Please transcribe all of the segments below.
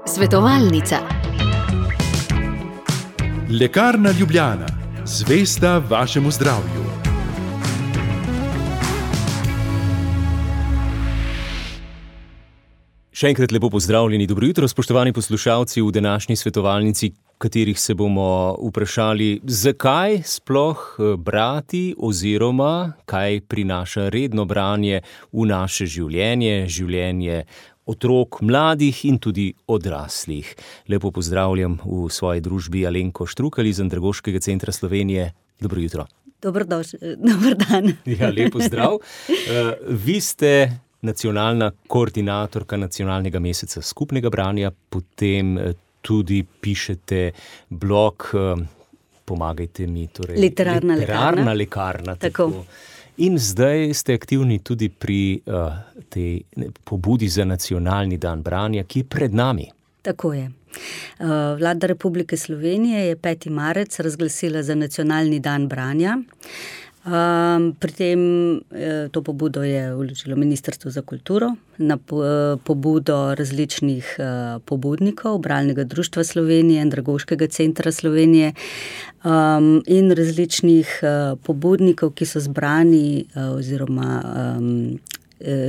Svetovalnica. Lekarna Ljubljana, zvesta vašemu zdravju. Še enkrat lepo pozdravljeni, dobro jutro, spoštovani poslušalci v današnji svetovalnici, katerih se bomo vprašali, zakaj sploh brati oziroma kaj prinaša redno branje v naše življenje, življenje otrok, mladih in tudi odraslih. Lepo pozdravljam v svoji družbi Alenko Štrukelj iz Andragoškega centra Slovenije. Dobro jutro. Dober dan. Ja, lepo zdrav. Vi ste nacionalna koordinatorka nacionalnega meseca skupnega branja, potem tudi pišete blog, pomagajte mi, torej Literarna lekarna. Tako. In zdaj ste aktivni tudi pri tej pobudi za nacionalni dan branja, ki je pred nami. Tako je. Vlada Republike Slovenije je 5. marec razglasila za nacionalni dan branja. Pri tem to pobudo je vložilo Ministrstvo za kulturo na pobudo različnih pobudnikov, Bralnega društva Slovenije, Andragoškega centra Slovenije in različnih pobudnikov, ki so zbrani oziroma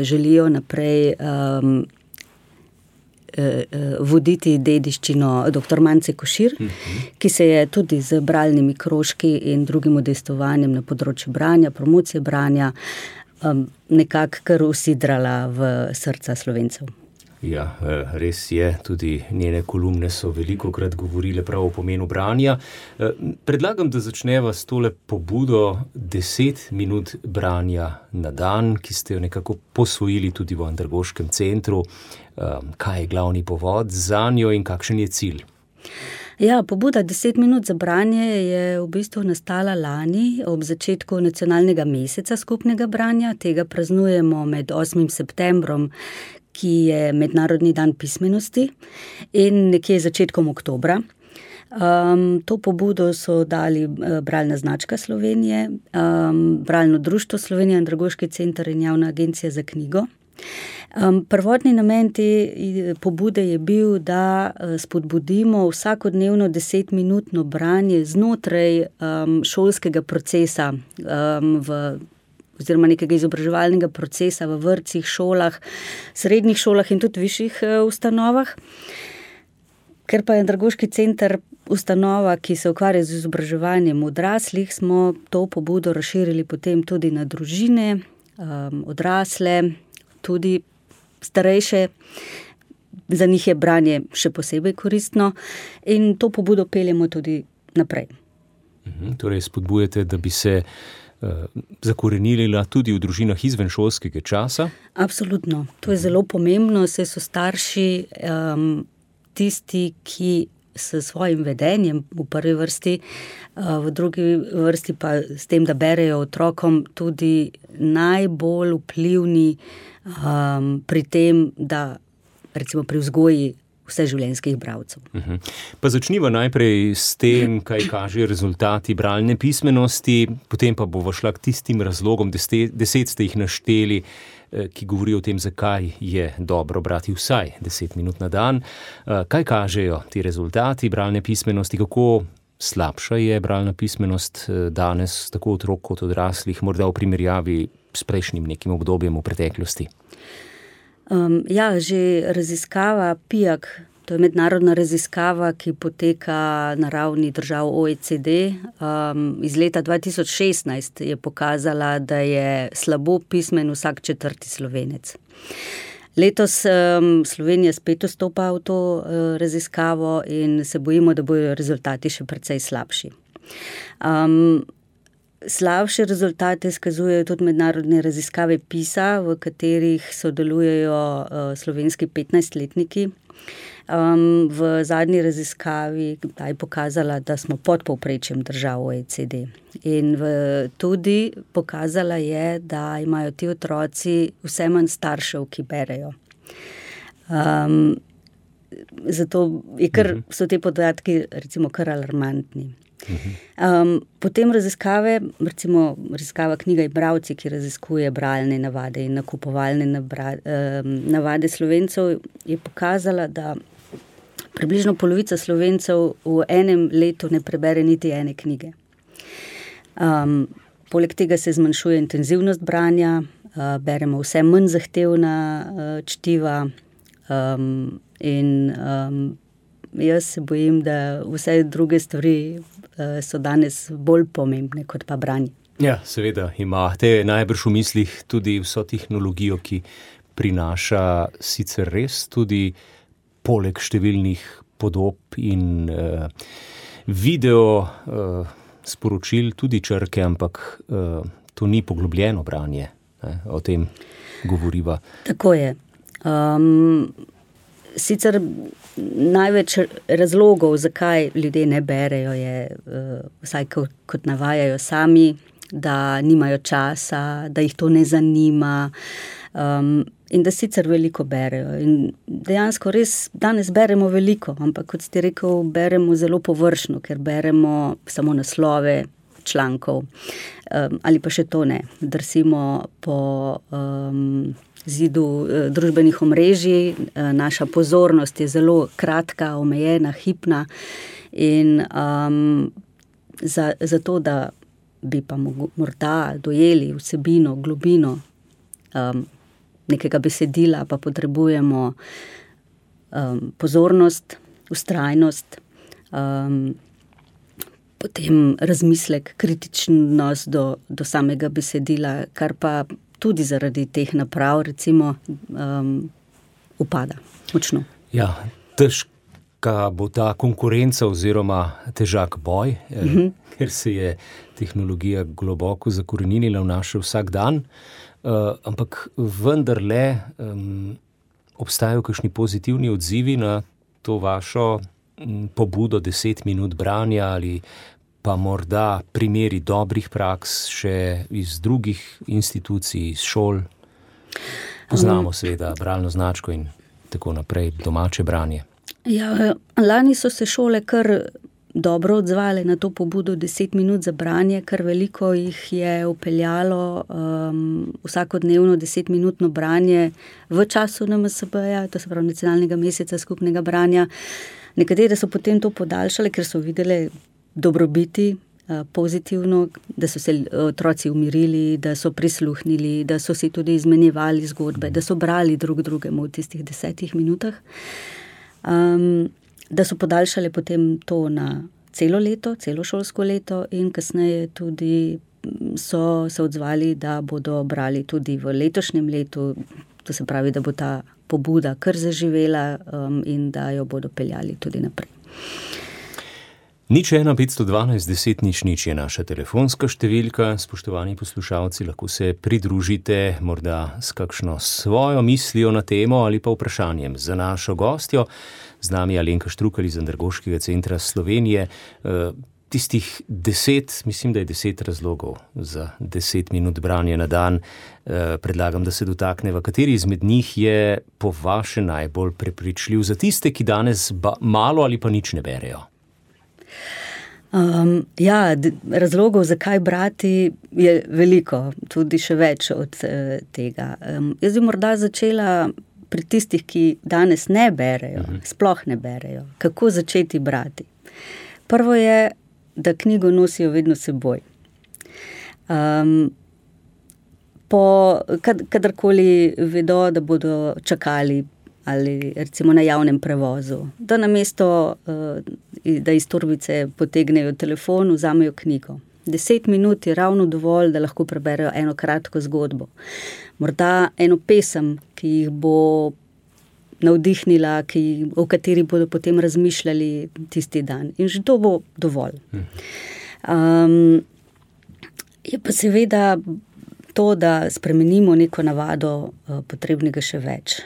želijo naprej voditi dediščino dr. Mance Košir, ki se je tudi z bralnimi krožki in drugim udejstvovanjem na področju branja, promocije branja, nekako kar usidrala v srca Slovencev. Ja, res je, tudi njene kolumne so velikokrat govorile prav o pomenu branja. Predlagam, da začneva s tole pobudo 10 minut branja na dan, ki ste jo nekako posvojili tudi v Andragoškem centru. Kaj je glavni povod zanjo in kakšen je cilj? Ja, pobuda 10 minut za branje je v bistvu nastala lani ob začetku nacionalnega meseca skupnega branja. Tega praznujemo med 8. septembrom, ki je Mednarodni dan pismenosti, in nekje začetkom oktobra. To pobudo so dali Bralna značka Slovenije, Bralno društvo Slovenije, Andragoški center in Javna agencija za knjigo. Prvotni namen te pobude je bil, da spodbudimo vsakodnevno 10-minutno branje znotraj šolskega procesa oziroma nekega izobraževalnega procesa v vrtcih, šolah, srednjih šolah in tudi višjih ustanovah. Ker pa je Andragoški center ustanova, ki se ukvarja z izobraževanjem odraslih, smo to pobudo razširili potem tudi na družine, odrasle, tudi starejše. Za njih je branje še posebej koristno in to pobudo peljemo tudi naprej. Torej spodbujate, da bi se zakorenila tudi v družinah izven šolskega časa? Absolutno. To je zelo pomembno, saj so starši tisti, ki s svojim vedenjem v prvi vrsti, v drugi vrsti pa s tem, da berejo otrokom, tudi najbolj vplivni pri tem, da recimo pri vzgoji vseživljenjskih bralcev. Pa začniva najprej s tem, kaj kažejo rezultati bralne pismenosti, potem pa bova šla k tistim razlogom, 10 ste jih našteli, ki govorijo o tem, zakaj je dobro brati vsaj 10 minut na dan. Kaj kažejo ti rezultati bralne pismenosti, kako slabša je bralna pismenost danes, tako otrok kot odraslih, morda v primerjavi s prejšnjim nekim obdobjem v preteklosti? Že raziskava PIAAC, to je mednarodna raziskava, ki poteka na ravni držav OECD, iz leta 2016 je pokazala, da je slabo pismen vsak 4. Slovenec. Letos Slovenija spet vstopa v to raziskavo in se bojimo, da bodo rezultati še precej slabši. Slabše rezultate izkazujejo tudi mednarodne raziskave PISA, v katerih sodelujejo slovenski 15-letniki. V zadnji raziskavi je pokazala, da smo pod povprečjem držav OECD. In tudi pokazala je, da imajo ti otroci vse manj staršev, ki berejo. Zato so te podatki recimo kar alarmantni. Potem raziskave, recimo raziskava knjiga Bralci, ki raziskuje bralne navade in nakupovalne navade Slovencev, je pokazala, da približno polovica Slovencev v enem letu ne prebere niti ene knjige. Poleg tega se zmanjšuje intenzivnost branja, beremo vse manj zahtevna čtiva in jaz se bojim, da vse druge stvari so danes bolj pomembne kot pa branje. Ja, seveda imate najbrž v mislih tudi vso tehnologijo, ki prinaša sicer res tudi poleg številnih podob in video sporočil tudi črke, ampak to ni poglobljeno branje. O tem govoriva. Tako je. Sicer največ razlogov, zakaj ljudje ne berejo, je, vsaj kot navajajo sami, da nimajo časa, da jih to ne zanima, in da sicer veliko berejo. In dejansko res danes beremo veliko, ampak kot ste rekel, beremo zelo površno, ker beremo samo naslove člankov, ali pa še to ne. Drsimo po zidu družbenih omrežij, naša pozornost je zelo kratka, omejena, hipna in za to, da bi pa morda dojeli vsebino, globino nekega besedila, pa potrebujemo pozornost, vztrajnost, potem razmislek, kritičnost do samega besedila, kar pa tudi zaradi teh naprav, recimo, upada močno. Ja, težka bo ta konkurenca oziroma težak boj, ker se je tehnologija globoko zakoreninila v naš vsakdan, ampak vendarle obstajajo kakšni pozitivni odzivi na to vašo pobudo 10 minut branja ali pa morda primeri dobrih praks še iz drugih institucij, iz šol. Poznamo seveda bralno značko in tako naprej, domače branje. Ja, lani so se šole kar dobro odzvale na to pobudo 10 minut za branje, kar veliko jih je vpeljalo vsakodnevno 10-minutno branje v času NMSB-ja, to se pravi Nacionalnega meseca skupnega branja. Nekatere so potem to podaljšale, ker so videle dobrobiti pozitivno, da so se otroci umirili, da so prisluhnili, da so si tudi izmenjevali zgodbe, da so brali drug drugemu v tistih 10 minutah. Da so podaljšale potem to na celo leto, celo šolsko leto in kasneje tudi so se odzvali, da bodo brali tudi v letošnjem letu, to se pravi, da bo ta pobuda kar zaživela in da jo bodo peljali tudi naprej. 01512 je naša telefonska številka. Spoštovani poslušalci, lahko se pridružite morda s kakšno svojo mislijo na temo ali pa vprašanjem za našo gostjo. Z nami Alenka Štrukelj iz Andragoškega centra Slovenije. Tistih 10, mislim, da je 10 razlogov za 10 minut branja na dan. Predlagam, da se dotakneva, kateri izmed njih je po vaše najbolj prepričljiv za tiste, ki danes malo ali pa nič ne berejo. Razlogov, zakaj brati, je veliko, tudi še več od tega. Jaz bi morda začela pri tistih, ki danes ne berejo, sploh ne berejo. Kako začeti brati? Prvo je, da knjigo nosijo vedno seboj. Kadarkoli vedo, da bodo čakali ali recimo na javnem prevozu, da namesto, da iz torbice potegnejo telefon, vzamejo knjigo. 10 minut je ravno dovolj, da lahko preberejo eno kratko zgodbo. Morda eno pesem, ki jih bo navdihnila, o kateri bodo potem razmišljali tisti dan. In že to bo dovolj. Je pa seveda to, da spremenimo neko navado, potrebnega še več.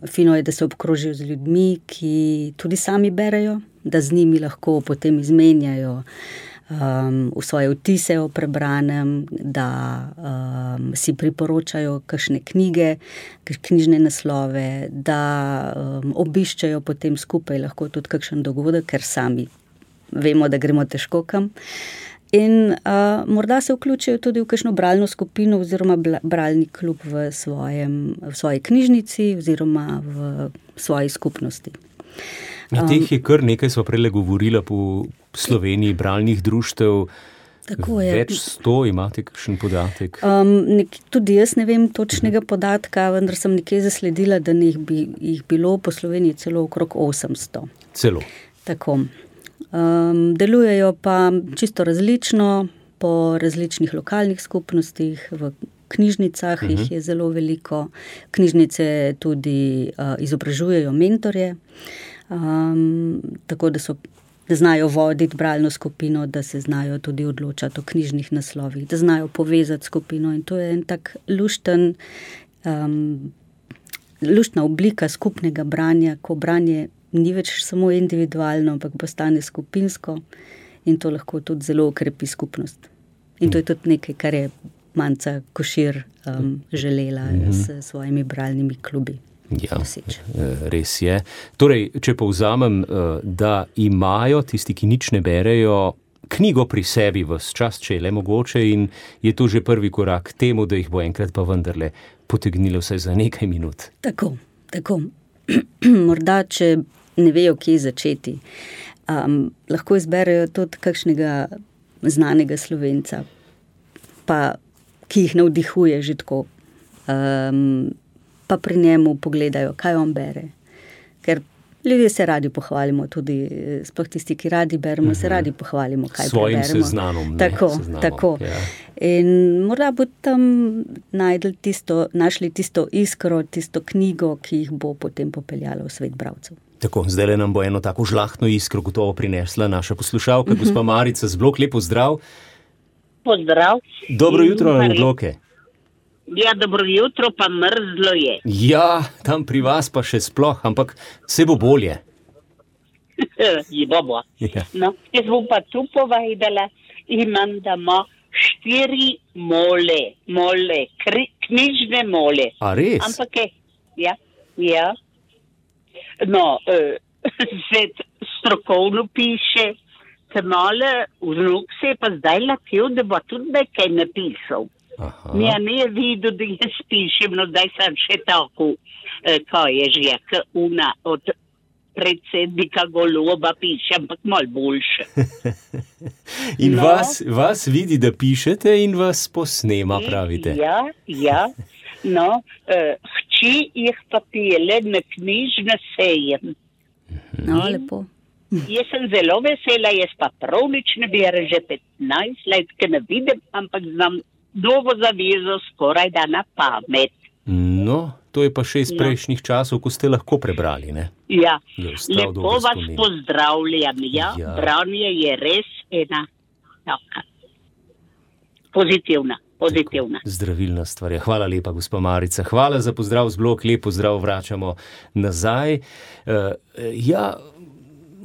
Fino je, da se obkrožijo z ljudmi, ki tudi sami berejo, da z njimi lahko potem izmenjajo v svoje vtise o prebranem, da si priporočajo kakšne knjige, knjižne naslove, da obiščajo potem skupaj lahko tudi kakšen dogodek, ker sami vemo, da gremo težko kam. In morda se vključijo tudi v kakšno bralno skupino oziroma bralni klub v svoji knjižnici oziroma v svoji skupnosti. Teh je kar nekaj, sva prej govorila po Sloveniji, bralnih društev. Tako je. Več 100, imate kakšen podatek? Tudi jaz ne vem točnega podatka, vendar sem nekje zasledila, da jih bilo po Sloveniji celo okrog 800. Celo. Tako. Delujejo pa čisto različno po različnih lokalnih skupnostih, v knjižnicah jih je zelo veliko. Knjižnice tudi izobražujejo mentorje, tako da znajo voditi bralno skupino, da se znajo tudi odločati o knjižnih naslovih, da znajo povezati skupino in to je en tak luštna oblika skupnega branja, ko branje ni več samo individualno, ampak postane skupinsko in to lahko tudi zelo okrepi skupnost. In to je tudi nekaj, kar je Manca Košir želela s svojimi bralnimi klubi. Ja, res je. Torej, če povzamem, da imajo tisti, ki nič ne berejo, knjigo pri sebi ves čas, če je le mogoče, in je to že prvi korak k temu, da jih bo enkrat pa vendarle potegnilo vsaj za nekaj minut. Tako. Morda, če ne vejo, kje začeti, lahko izberejo tudi kakšnega znanega Slovenca, pa ki jih navdihuje že tako, pa pri njemu pogledajo, kaj on bere. Ker ljudje se radi pohvalimo, tudi sploh tisti, ki radi beremo, se radi pohvalimo, kaj svojim preberemo. seznanom. Tako. Ja. In morda bo tam našli tisto iskro, tisto knjigo, ki jih bo potem popeljala v svet bralcev. Tako, zdaj nam bo eno tako žlahtno iskro gotovo prinesla naša poslušalka, gospa Marica z Blok. Lep pozdrav. Pozdrav. Dobro jutro na Bloke. Ja, dobro jutro, pa mrzlo je. Ja, tam pri vas pa še sploh, ampak se bo bolje. Bo. Ja. No, jaz bom pa tu povedala, imam doma 4 mole, knjižne mole. A res? Ampak ja. No, se strokovno piše, male vnuk se je pa zdaj latil, da bo tudi nekaj napisal. Ja, ne je videl, da jaz pišem, no zdaj sem še tako, kaj je že, una od predsednika Goloba piše, ampak malo boljše. In vas vidi, da pišete in vas posnema, pravite. Ja. No, hči jih pa pele na knjižne sejem. No, lepo. Jaz sem zelo vesela, jaz pa prav nič ne berem že 15 let, ker ne vidim, ampak znam Novo zavezo skoraj da na pamet. No, to je pa še iz prejšnjih časov, ko ste lahko prebrali, ne? Ja, lepo vas pozdravljam. Ja, branje je res ena taka pozitivna. Zdravilna stvar. Hvala lepa, gospa Marica. Hvala za pozdrav z Blok. Lep pozdrav, vračamo nazaj.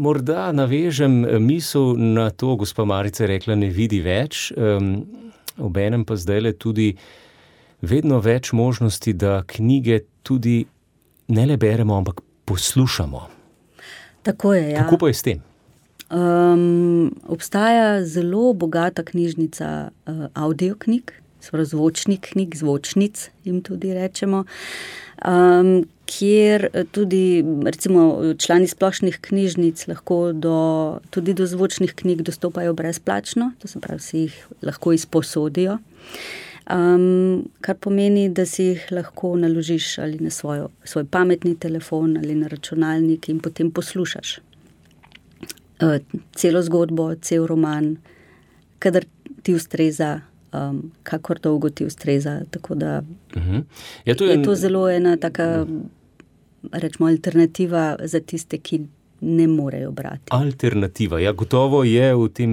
Morda navežem misel na to, gospa Marica je rekla, ne vidi več. Obenem pa zdajle tudi vedno več možnosti, da knjige tudi ne le beremo, ampak poslušamo. Tako je, ja. Kako pa je s tem? Obstaja zelo bogata knjižnica audioknjig, zvočnih knjig, zvočnic jim tudi rečemo, kjer tudi recimo člani splošnih knjižnic lahko tudi do zvočnih knjig dostopajo brezplačno, to se pravi, si jih lahko izposodijo, kar pomeni, da si jih lahko naložiš ali na svoj pametni telefon ali na računalnik in potem poslušaš celo zgodbo, cel roman, kadar ti ustreza, kakor dolgo ti ustreza, tako da je to zelo ena taka, rečemo, alternativa za tiste, ki ne morejo brati. Alternativa, ja, gotovo je v tem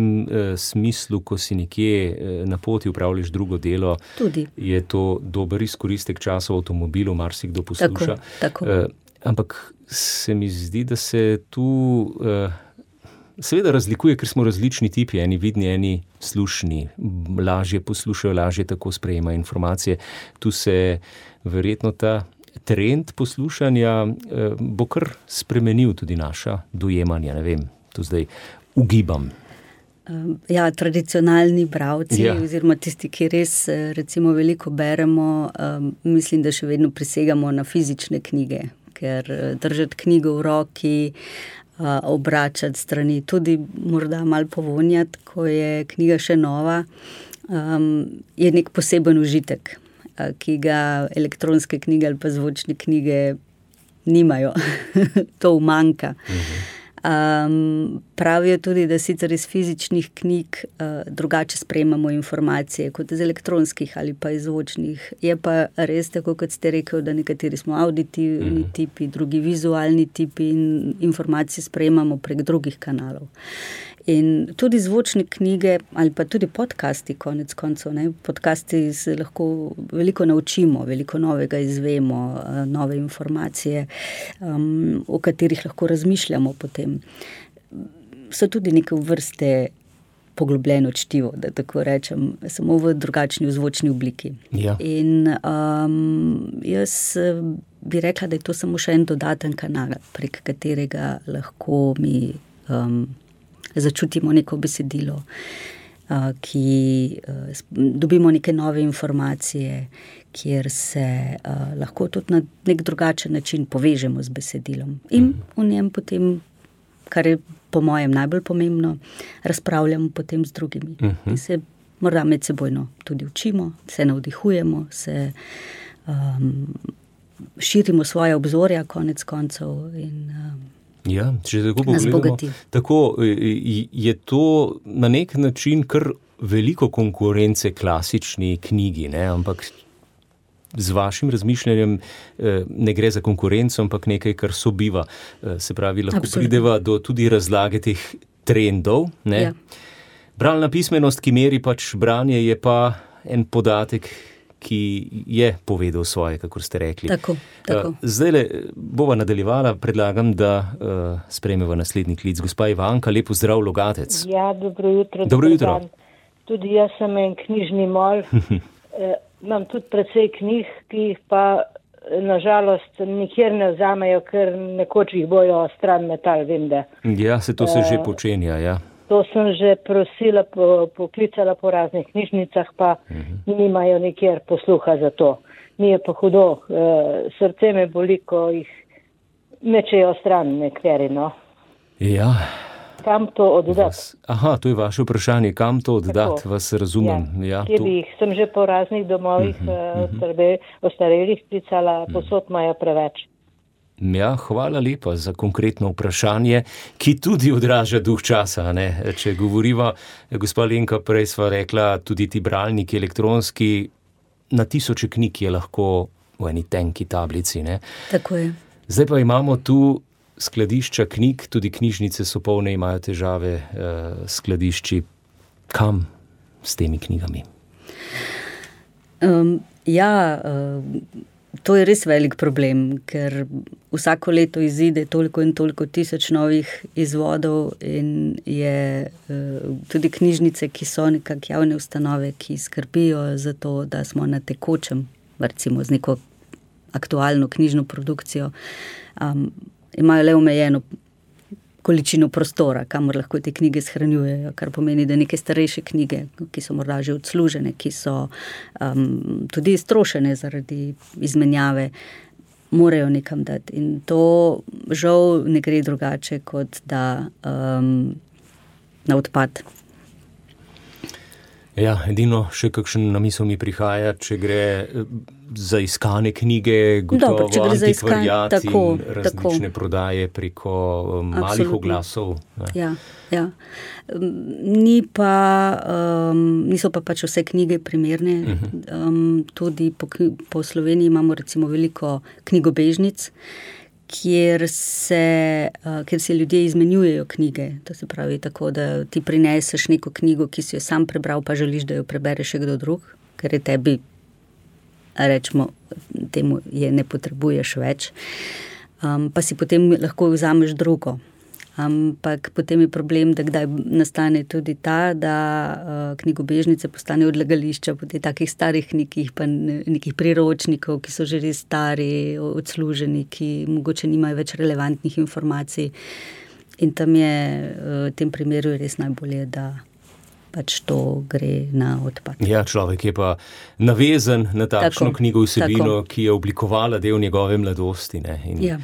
smislu, ko si nekje na poti upravljaš drugo delo, tudi je to dober izkoristek časa v avtomobilu, marsikdo posluša. Tako. Ampak se mi zdi, da se tu seveda razlikuje, ker smo različni tipi, eni vidni, eni slušni, lažje poslušajo, lažje tako sprejemajo informacije. Tu se verjetno ta trend poslušanja bo kar spremenil tudi naša dojemanja, ne vem, tu zdaj ugibam. Ja, tradicionalni bralci, oziroma tisti, ki res recimo veliko beremo, mislim, da še vedno prisegamo na fizične knjige, ker držati knjigo v roki, obračati strani, tudi morda malo povonjati, ko je knjiga še nova, je nek poseben užitek, ki ga elektronske knjige ali pa zvočne knjige nimajo. To umanjka. Pravijo tudi, da sicer iz fizičnih knjig drugače sprejemamo informacije kot iz elektronskih ali pa iz zvočnih. Je pa res tako, kot ste rekel, da nekateri smo auditivni tipi, drugi vizualni tipi in informacije sprejemamo prek drugih kanalov. In tudi zvočne knjige ali pa tudi podcasti, konec koncev, podcasti se lahko veliko naučimo, veliko novega izvemo, nove informacije, o katerih lahko razmišljamo potem. So tudi neke vrste poglobljeno čtivo, da tako rečem, samo v drugačni zvočni obliki. Ja. In jaz bi rekla, da je to samo še en dodaten kanal, prek katerega lahko mi začutimo neko besedilo, ki dobimo neke nove informacije, kjer se lahko tudi na nek drugačen način povežemo z besedilom. In v njem potem, kar je po mojem najbolj pomembno, razpravljamo potem z drugimi. In se morda medsebojno tudi učimo, se navdihujemo, se širimo svoje obzorja konec koncev in ja, če tako pogledamo, tako je to na nek način kar veliko konkurence klasični knjigi, ampak z vašim razmišljanjem ne gre za konkurenco, ampak nekaj, kar sobiva. Se pravi, lahko prideva do tudi razlage teh trendov. Ja. Bralna pismenost, ki meri pač branje, je pa en podatek, ki je povedal svoje, kakor ste rekli. Tako. Zdajle bova nadaljevala, predlagam, da sprejmeva naslednji klic. Gospa Ivanka, lep pozdrav, Logatec. Ja, dobro jutro. Dobro jutro. Tudi jaz sem en knjižni mol. Imam tudi precej knjig, ki jih pa nažalost nikjer ne vzamejo, ker nekoč jih bojo stran metal, vem da. Ja, se to se že počenja, ja. To sem že prosila, poklicala po raznih knjižnicah, pa nimajo nikjer posluha za to. Mi je pa hudo, srce me boli, ko jih mečejo stran nekateri, no. Ja. Kam to oddati? Aha, to je vaše vprašanje, kam to oddati, vas razumem. Ja, sem že po raznih domovih ostarelih klicala, posod imajo preveč. Ja, hvala lepa za konkretno vprašanje, ki tudi odraža duh časa. Če govoriva, gospa Lenka, prej sva rekla, tudi ti bralniki elektronski, na tisoče knjig je lahko v eni tenki tablici. Tako je. Zdaj pa imamo tu skladišča knjig, tudi knjižnice so polne, imajo težave skladišči. Kam s temi knjigami? To je res velik problem, ker vsako leto izide toliko in toliko tisoč novih izvodov in je tudi knjižnice, ki so nekak javne ustanove, ki skrbijo za to, da smo na tekočem, recimo z neko aktualno knjižno produkcijo, imajo le omejeno količino prostora, kamor lahko te knjige shranjujejo, kar pomeni, da neke starejše knjige, ki so morda že odslužene, ki so tudi iztrošene zaradi izmenjave, morajo nekam dati. In to žal ne gre drugače, kot da na odpad. Ja, edino še kakšen na misel mi prihaja, če gre za iskane knjige, gotovo antikvariat in različne prodaje preko malih oglasov. Ja. Niso pa pač vse knjige primerne. Tudi po Sloveniji imamo recimo veliko knjigobežnic, kjer se ljudje izmenjujejo knjige. To se pravi tako, da ti prineseš neko knjigo, ki si jo sam prebral, pa želiš, da jo prebere še kdo drug, ker je tebi, rečemo, temu ne potrebuješ več. Pa si potem lahko vzameš drugo. Ampak potem je problem, da kdaj nastane tudi ta, da knjigobežnice postanejo odlagališča potem takih starih knjig, pa nekih priročnikov, ki so že res stari, odsluženi, ki mogoče nimajo več relevantnih informacij. In tam je, v tem primeru je res najbolje, da pač to gre na odpad. Ja, človek je pa navezan na takšno knjigo vsebino, ki je oblikovala del njegove mladosti. Ne? In ja.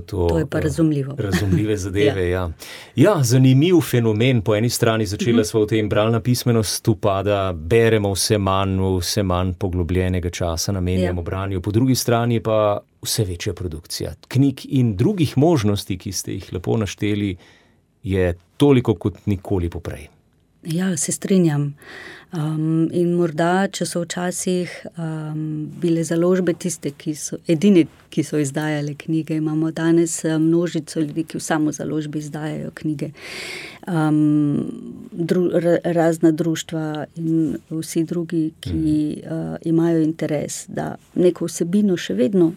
To je pa razumljivo. Razumljive zadeve, ja, zanimiv fenomen. Po eni strani začela sva v tem bralna pismenost upada, beremo vse manj poglobljenega časa namenjamo branju, po drugi strani pa vse večja produkcija knjig in drugih možnosti, ki ste jih lepo našteli, je toliko kot nikoli poprej. Ja, se strinjam. In morda, če so včasih bile založbe tiste, edine, ki so izdajale knjige, imamo danes množico ljudi, ki v samo založbi izdajajo knjige. Razna društva in vsi drugi, ki imajo interes, da neko vsebino še vedno,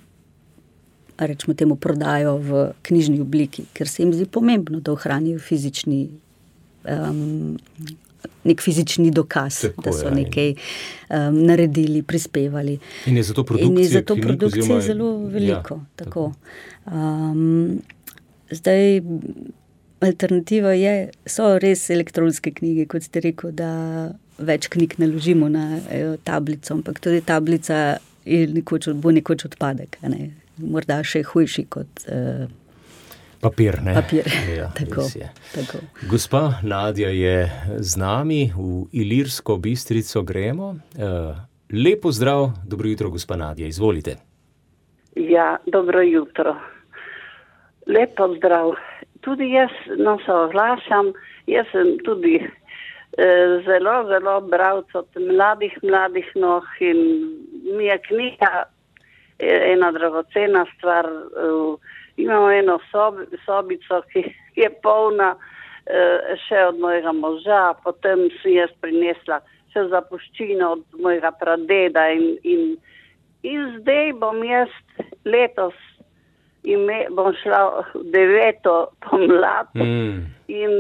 rečemo temu, prodajo v knjižni obliki, ker se jim zdi pomembno, da ohranijo nek fizični dokaz, tako da so nekaj naredili, prispevali. In je zato produkcije zelo veliko. Ja, tako. Zdaj, alternativa so res elektronske knjige, kot ste rekel, da več knjig naložimo na tablico, ampak tudi tablica bo nekoč odpadek, ne? Morda še hujši kot papir, ne? Papir, ja, tako. Gospa Nadja je z nami, v Ilirsko Bistrico gremo. Lepo zdrav, dobro jutro, gospa Nadja, izvolite. Ja, dobro jutro. Lepo zdrav. Tudi jaz, se oglašam, jaz sem tudi zelo bralec od mladih noh in mi je knjiga ena dragocena stvar. Imamo eno sobico, ki je polna še od mojega moža, potem si jaz prinesla še zapuščino od mojega pradeda in zdaj bom jaz letos bom šla v 9. pomlad in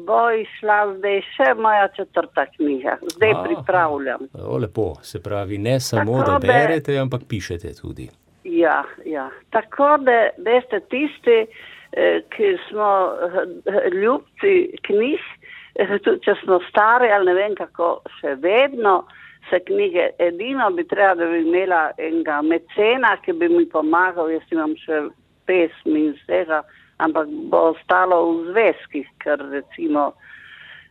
bo išla zdaj še moja 4. knjiga. Zdaj pripravljam. Lepo, se pravi, ne samo, da berete, ampak pišete tudi. Ja. Tako da, veste, tisti, ki smo ljubci knjig, če smo stari ali ne vem kako, še vedno se knjige, edino bi treba, da bi imela enega mecena, ki bi mi pomagal, jaz imam še pesmi in vsega, ampak bo ostalo v zvezkih, ker recimo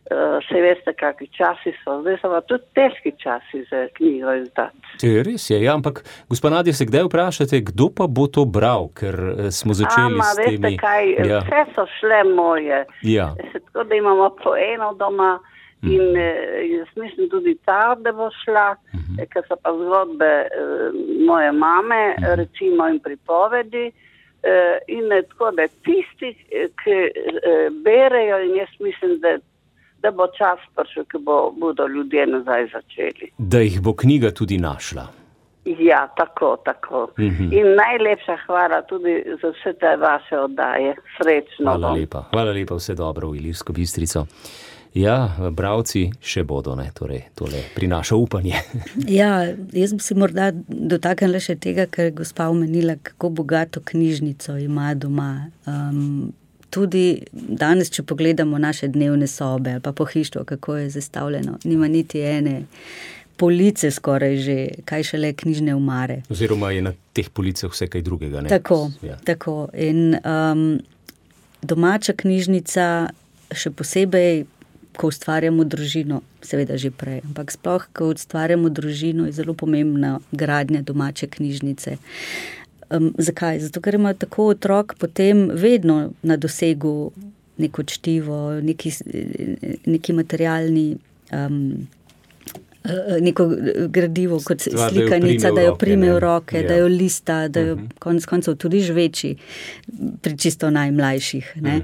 se veste, kakvi časi so. Zdaj so pa tudi težki časi za knjigo izdati. Res je, ja, ampak gospa Nadja, se kdaj vprašate, kdo pa bo to bral, ker smo začeli s temi... Veste kaj, vse so šle moje. Ja. Tako da imamo po eno doma in jaz mislim tudi ta, da bo šla, ker so pa zgodbe moje mame, recimo in pripovedi, in tako da tisti, ki berejo, in jaz mislim, da bo čas prišel, ki bodo ljudje nazaj začeli. Da jih bo knjiga tudi našla. Ja, tako. In najlepša hvala tudi za vse te vaše oddaje. Srečno. Hvala lepa, vse dobro v Ilirsko Bistrico. Ja, bralci še bodo, ne, torej tole prinaša upanje. Ja, jaz bi se morda dotaknila še tega, ker je gospa omenila, kako bogato knjižnico ima doma. Tudi danes, če pogledamo naše dnevne sobe ali pa pohištvo, kako je zastavljeno, nima niti ene police skoraj že, kaj šele knjižne omare. Oziroma je na teh policah vse kaj drugega, ne? Tako. In domača knjižnica, še posebej, ko ustvarjamo družino, seveda že prej, ampak sploh, ko ustvarjamo družino, je zelo pomembna gradnja domače knjižnice. Zakaj? Zato, ker ima tako otrok potem vedno na dosegu neko čtivo, neki materialni, neko gradivo kot slikanica, da jo prime v roke, da jo lista, da jo konec koncev tudi žveči pri čisto najmlajših. Ne?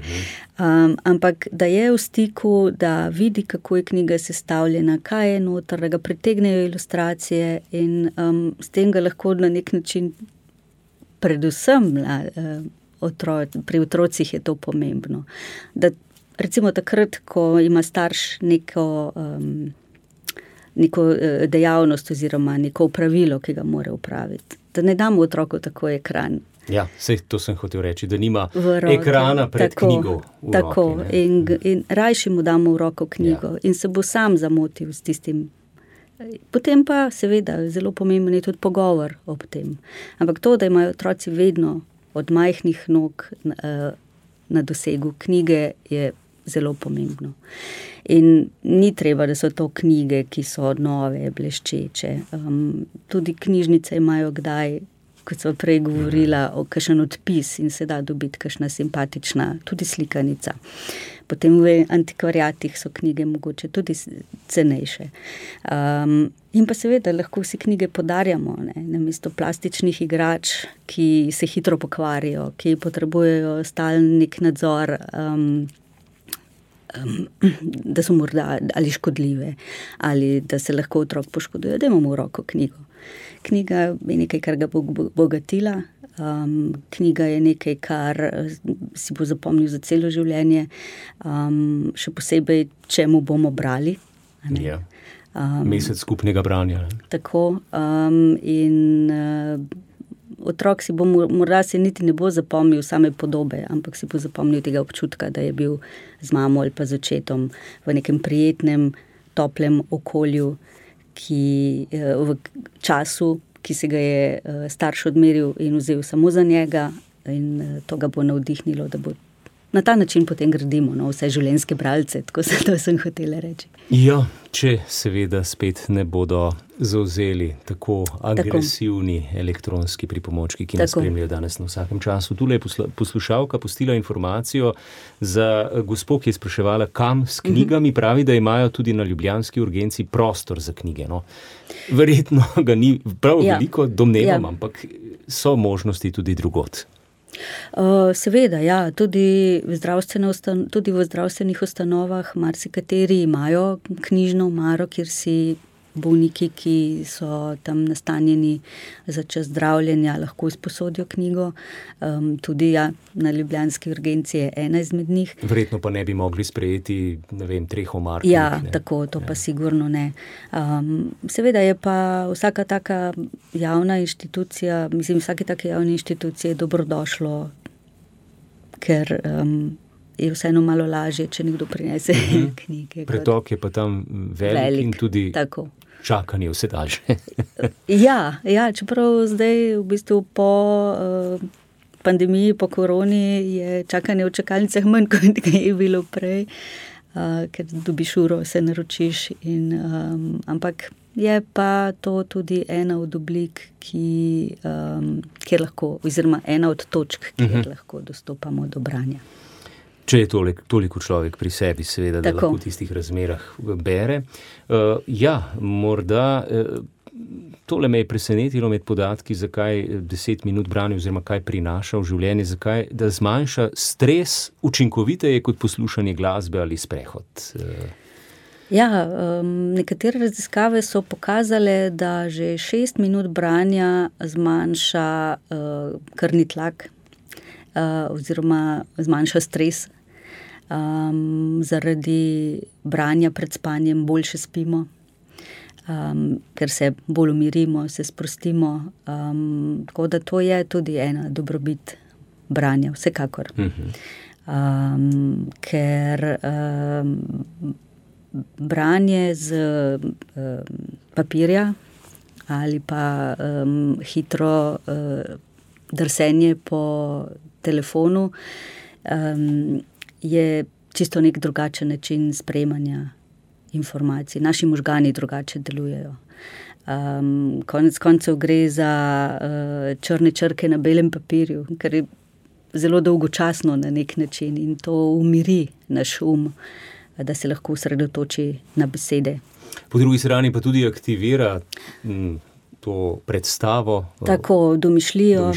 Ampak da je v stiku, da vidi, kako je knjiga sestavljena, kaj je noter, da ga pritegnejo ilustracije in s tem ga lahko na nek način predvsem pri otrocih je to pomembno. Da recimo takrat, ko ima starš neko dejavnost oziroma neko opravilo, ki ga mora opraviti, da ne damo otroku tako ekran, Ja, sej to sem hotel reči, da nima ekrana pred knjigo v roki. In rajši mu damo v roko knjigo in se bo sam zamotil s tistim. Potem pa seveda zelo pomemben je tudi pogovor ob tem. Ampak to, da imajo otroci vedno od majhnih nog na dosegu knjige, je zelo pomembno. In ni treba, da so to knjige, ki so nove, bleščeče. Tudi knjižnice imajo kdaj, kot so prej govorila, o kakšen odpis in se da dobiti kakšna simpatična, tudi slikanica. Potem v antikvariatih so knjige mogoče tudi cenejše. In pa seveda lahko vsi knjige podarjamo, namesto plastičnih igrač, ki se hitro pokvarijo, ki potrebujejo stalen nek nadzor, da so morda ali škodljive, ali da se lahko otrok poškoduje, da imamo v roko knjigo. Knjiga je nekaj, kar ga bo bogatila. Knjiga je nekaj, kar si bo zapomnil za celo življenje, še posebej, če mu bomo brali. Ja. Mesec skupnega branja. Tako. Otrok si bo, morda se niti ne bo zapomnil same podobe, ampak si bo zapomnil tega občutka, da je bil z mamo ali pa z očetom v nekem prijetnem, toplem okolju, v času, ki se ga je starš odmeril in vzel samo za njega, in to ga bo navdihnilo, da bo na ta način potem gradimo vse življenjske bralce, tako sem hotela reči. Ja, če seveda spet ne bodo zavzeli tako agresivni elektronski pripomočki, ki nas spremljajo danes na vsakem času. Tule je poslušalka pustila informacijo za gospo, ki je spraševala, kam s knjigami. Pravi, da imajo tudi na ljubljanski urgenci prostor za knjige. No. Verjetno ga ni prav veliko, domnevam, ampak so možnosti tudi drugod. Seveda, ja, tudi v zdravstvenih ustanovah marsikateri imajo knjižno omaro, kjer si bolniki, ki so tam nastanjeni za čas zdravljenja, lahko izposodijo knjigo. Tudi na ljubljanski urgenci je ena izmed njih. Verjetno pa ne bi mogli sprejeti, 3 omar. Ja, tako, to pa sigurno ne. Seveda je pa vsaka taka javna inštitucija, vsake take javne inštitucije je dobrodošlo, ker je vseeno malo lažje, če nekdo prinese knjige. Pretok je pa tam velik in tudi čakanje vse daljše. Ja, čeprav zdaj v bistvu po pandemiji, po koroni je čakanje v čakalnicah manj, kot je bilo prej, ker dobiš uro, se naročiš. Ampak je pa to tudi ena od oblik, kjer lahko, oziroma ena od točk, kjer lahko dostopamo do branja. Če je toliko človek pri sebi, seveda, da lahko v tistih razmerah bere. Morda tole me je presenetilo med podatki, zakaj 10 minut branja oziroma kaj prinaša v življenje, zakaj, da zmanjša stres učinkoviteje kot poslušanje glasbe ali sprehod. Nekatere raziskave so pokazale, da že 6 minut branja zmanjša krvni tlak oziroma zmanjša stres. Zaradi branja pred spanjem boljše spimo, ker se bolj umirimo, se sprostimo. Tako da to je tudi ena dobrobit branja, vsekakor. Ker branje z papirja ali pa hitro drsenje po telefonu je čisto nek drugačen način sprejemanja informacij. Naši možgani drugače delujejo. Konec koncev gre za črne črke na belem papirju, kar je zelo dolgočasno na nek način in to umiri naš da se lahko osredotoči na besede. Po drugi strani pa tudi aktivira to predstavo. Tako, domišljijo,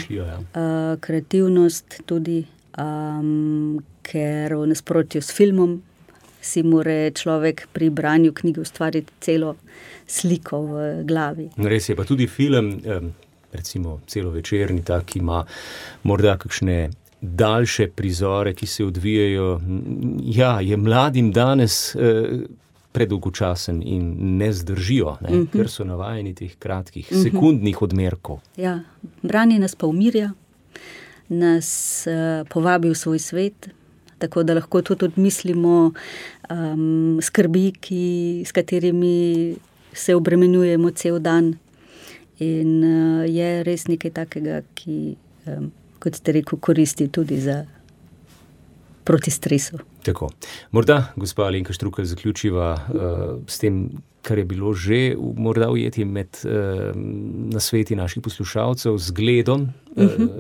kreativnost tudi, ker v nasprotju s filmom si mora človek pri branju knjige ustvariti celo sliko v glavi. Res je, pa tudi film, recimo celovečerni, ki ima morda kakšne daljše prizore, ki se odvijajo. Je mladim danes predolgočasen in ne zdržijo, ker so navajeni teh kratkih, sekundnih odmerkov. Branje nas pa umirja, nas povabi v svoj svet, tako da lahko tudi odmislimo skrbi, s katerimi se obremenjujemo cel dan. In je res nekaj takega, ki, kot ste rekel, koristi tudi proti stresu. Tako. Morda, gospa Alenka Štrukelj, zaključiva s tem, kar je bilo že morda ujeti med nasveti naših poslušalcev, zgledom,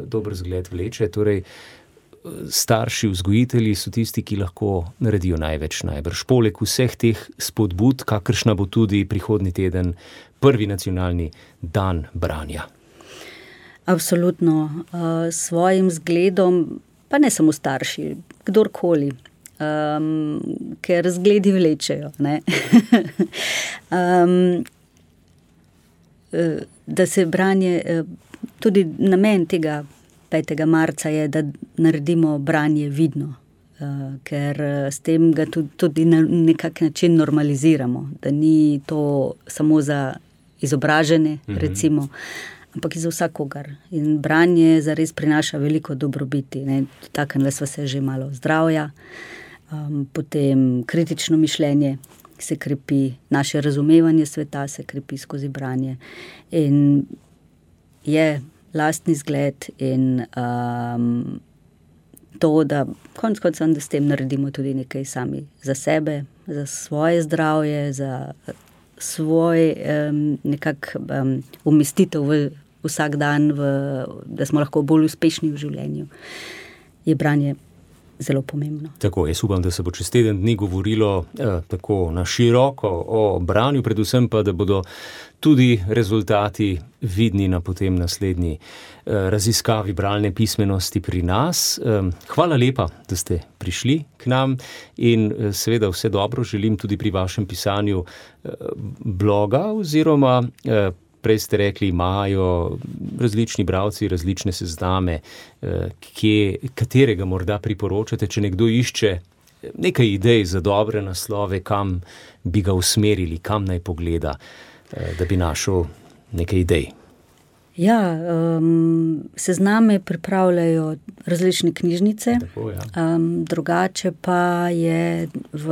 dober zgled vleče, torej starši, vzgojitelji so tisti, ki lahko naredijo največ najbrž. Poleg vseh teh spodbud, kakršna bo tudi prihodnji teden prvi nacionalni dan branja. Absolutno. Svojim zgledom, pa ne samo starši, kdorkoli, ker zgledi vlečejo. Ne? Da se branje, tudi namen tega 5. marca je, da naredimo branje vidno, ker s tem ga tudi na nekak način normaliziramo, da ni to samo za izobražene, recimo, ampak za vsakogar. In branje zares prinaša veliko dobrobiti. Taknile sva se že malo zdravja, potem kritično mišljenje se krepi, naše razumevanje sveta se krepi skozi branje. In je lastni zgled in to, da konec koncev, da s tem naredimo tudi nekaj sami za sebe, za svoje zdravje, za svoj umestitev v vsak dan, da smo lahko bolj uspešni v življenju, je branje zelo pomembno. Tako, jaz upam, da se bo čez teden dni govorilo tako na široko o branju, predvsem pa, da bodo tudi rezultati vidni na potem naslednji raziskavi bralne pismenosti pri nas. Hvala lepa, da ste prišli k nam in seveda vse dobro želim tudi pri vašem pisanju bloga oziroma prej ste rekli, imajo različni bralci različne sezname, katerega morda priporočate, če nekdo išče nekaj idej za dobre naslove, kam bi ga usmerili, kam naj pogleda, da bi našel nekaj idej. Ja, sezname pripravljajo različne knjižnice, tako, ja. Drugače pa je v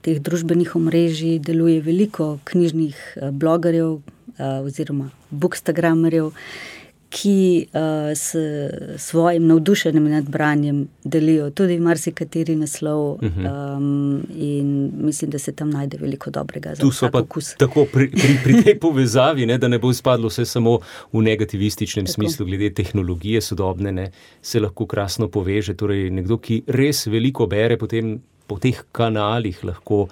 teh družbenih omrežij deluje veliko knjižnih blogerjev, oziroma bookstagramerjev, ki s svojim navdušenjem nad branjem delijo tudi marsikateri naslov in mislim, da se tam najde veliko dobrega za vsak okus. Tu so pa tako pri tej povezavi, da ne bo izpadlo vse samo v negativističnem smislu glede tehnologije sodobne, ne, se lahko krasno poveže. Torej nekdo, ki res veliko bere, potem po teh kanalih lahko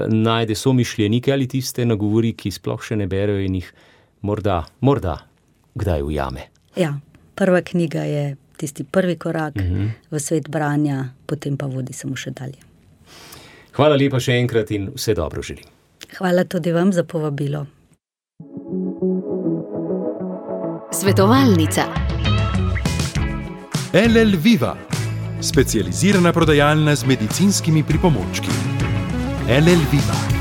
najde somišljenike ali tiste nagovori, ki sploh še ne berejo in jih morda kdaj ujame. Ja, prva knjiga je tisti prvi korak v svet branja, potem pa vodi samo še dalje. Hvala lepa še enkrat in vse dobro želim. Hvala tudi vam za povabilo. Svetovalnica. LL Viva, specializirana prodajalna z medicinskimi pripomočki. LL Viva.